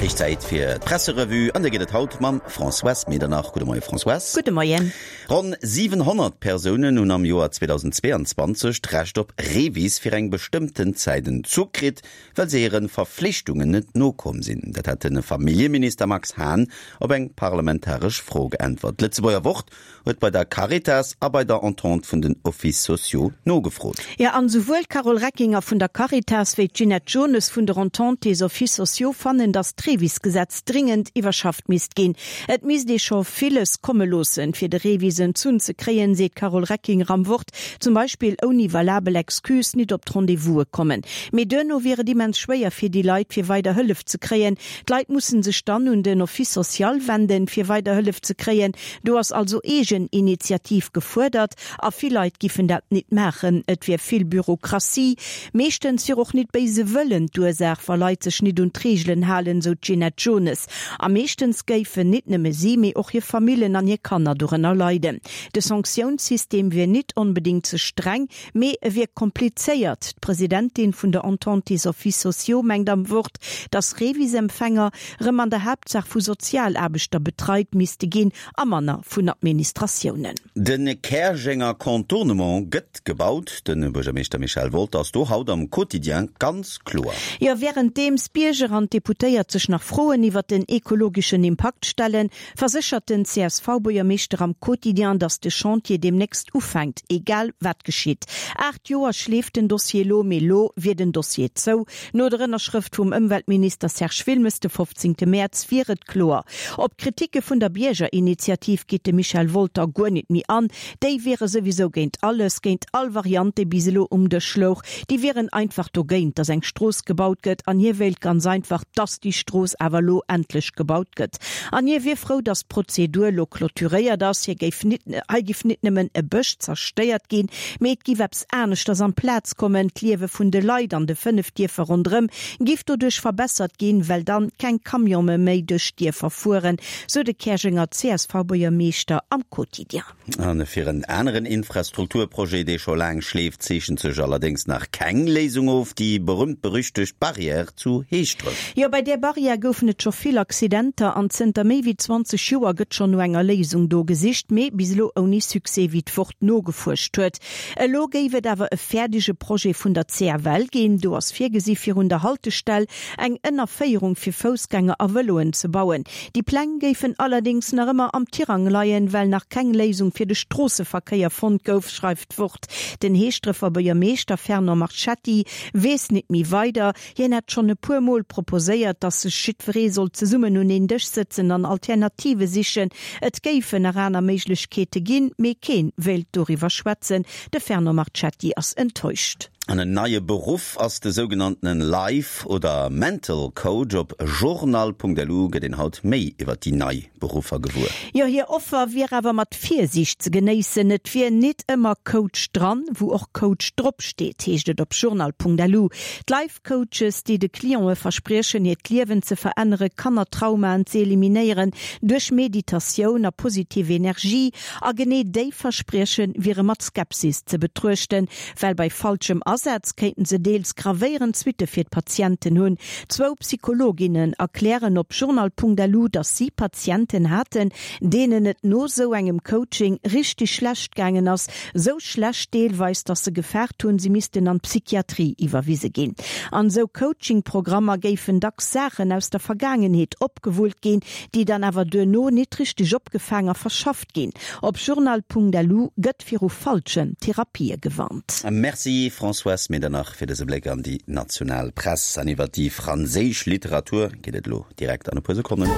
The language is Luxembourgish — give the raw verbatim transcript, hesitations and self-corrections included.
Héich Zäit fir d'Presserevue an déi gëtt et haut mam Françoise Medernach. Gudde Moie Françoise. Gudde Moien. Ronn siwenhonnert Persounen hunn am Joer zweedausendzweeanzwanzeg d'Recht op REVIS fir eng bestëmmten Zäit entzu kritt, well se hire Verflichtungen net nokomm sinn. Dat hat de Familljeminister Max Hahn op eng parlamentaresch Fro geäntwert. D'Lëtzebuerger Wort huet bei der Caritas a bei der Entente vun den Offices sociaux nogefrot. Jo, an esouwuel d'Carole Reckinger vun der Caritas wéi d'Ginette Jones vun der Entente des Offices sociaux fannen, datt d'REVIS-Gesetz dringend iwwerschafft misst ginn. Et misst ee scho villes komme loossen, fir de REVIS entzunn ze kréien, seet d'Carole Reckinger am Wort, zum Beispill ouni valabel Excuse nit op d'Rendez-vouse kommen. Mee duerno wier et immens schwéier fir déi Leit, fir weider Hëllef ze kréien. D'Leit musse sech dann un den Office social wenden, fir weider Hëllef ze kréien. Do ass also Eegeninitiativ gefuerdert a vill Leit giffen dat nit maachen. Et wier vill Bürokratie. Meeschtens wier och nit béise Wëllen d'Ursaach, wa Leit sech nit un d'Reegelen halen, sou d'Ginette Jones. A meeschtens géifen nit nëmme si, mee och hir Famillen an hir Kanner dorënner leiden. De Sanktiounssystem wier nit onbedéngt ze streng, mee e wier komplizéiert. D'Presidentin vun der Entente des Offices sociaux mengt am Wort, dass Revis-Empfänger rëm an der Haaptsaach vu Sozialaarbechter betreit misste ginn a manner vun Administratiounen. De Käerjenger Contournement gëtt gebaut. De Buergermeeschter Michel Wolter ass do haut am Quotidien ganz kloer. Jo, wärenddeems d'Bierger an d'Deputéiert sech nach Froen iwwert den ekologeschen Impakt stellen, verséchert den C S V-Buergermeeschter am Quotidien, dass de Chantier deemnächst ufänkt, egal wat geschitt. Aacht Joer schleeft den Dossier lo, mee lo wier den Dossier zou. No der Ënnerschrëft vum Ëmweltminister Serge Wilmes de fofzéngte Mäerz wier et kloer. Op d'Kritike vun der Biergerinitiativ geet de Michel Wolter guer nit méi an. Déi wiere souwisou géint alles, géint all Variant, déi bis elo um Dësch louch. Déi wieren einfach dogéint, dass eng Strooss gebaut gëtt an hie wéilt ganz einfach, dass déi Strooss awer lo endlech gebaut gëtt. An hie wier frou, dass d'Prozedur lo clôturéiert ass. Hie géif nit, hei giff nit nëmmen e Bësch zerstéiert ginn, mee et giff eppes aneschters amplaz kommen. D'Liewe vun de Leit an de fënnef Dierfer ronderëm giff doduerch verbessert ginn, well dann keng Camione méi duerch d'Dierfer fueren, sou de Käerjenger C S V-Buergermeeschter am Quotidien. A fir en aneren Infrastrukturprojet, dee scho laang schleeft, zeechent sech allerdéngs nach keng Léisung of, déi berüümt-berüchtegt Barrière zu Heeschdref. Jo, bei där Barrière goufen et scho vill Accidenter an zënter méi wéi zwanzeg Joer gëtt schonn no enger Léisung do gesicht, mee bis elo ouni Succès, wéi d'Wort nogefuerscht huet. Elo géif et awer e fäerdege Projet vun der C F L ginn. Do ass virgesi virun der Haltestell eng Ënnerféierung fir Foussgänger a Vëloen ze bauen. Déi Pläng géifen allerdéngs nach ëmmer am Tirang leien, well nach keng Léisung fir de Stroosseverkéier fonnt gouf, schreift d'Wort. Den Heeschdrefer Buergermeeschter Fernand Marchetti weess nit méi weider. Hien hätt schonn e puer Mol proposéiert, datt sech jiddweree soll zesummen un een Dësch sëtzen an Alternative sichen. Et géifen nach aner Méiglechkeete ginn, mee keen wéilt doriwwer schwätzen. De Fernand Marchetti ass enttäuscht. An en neie Beruff ass de sougenanntenen Life oder Mental Coach. Op journal Punkt L U gëtt een haut méi iwwer déi nei Beruffer gewuer. Jo, hir Offer wier awer mat Virsiicht ze genéissen. Et wier nit ëmmer Coach dran, wou och Coach drop steet, heescht et op journal Punkt L U. D'Life Coaches, déi de Clientë verspriechen, hiert Liewen ze veränneren, Kannertraumaen ze eliminéieren duerch Meditatioun a positiv Energie, a genee déi Versprieche wiere mat Skepsis ze betruechten, well bei falschem Asaz kéinten se deels gravéierend Suitte fir d'Patienten hunn. Zwou Psychologinnen erklären op journal Punkt L U, datt si Patienten haten, deenen et no sou engem Coaching richteg schlecht gaangen ass, sou schlecht deelweis, datt se gefaart hunn, si missten an d'Psychiatrie iwwerwise ginn. An sou Coaching-Programmer géifen dacks Saachen aus der Vergaangenheet opgewullt ginn, déi dann awer duerno nit richteg opgefaang a verschafft ginn. Op journal Punkt L U gëtt viru falschen Therapië gewarnt. Merci Françoise Medernach fir dëse Bléck an déi national Press. An iwwer déi franséisch Literatur geet et elo direkt an e puer Sekonnen.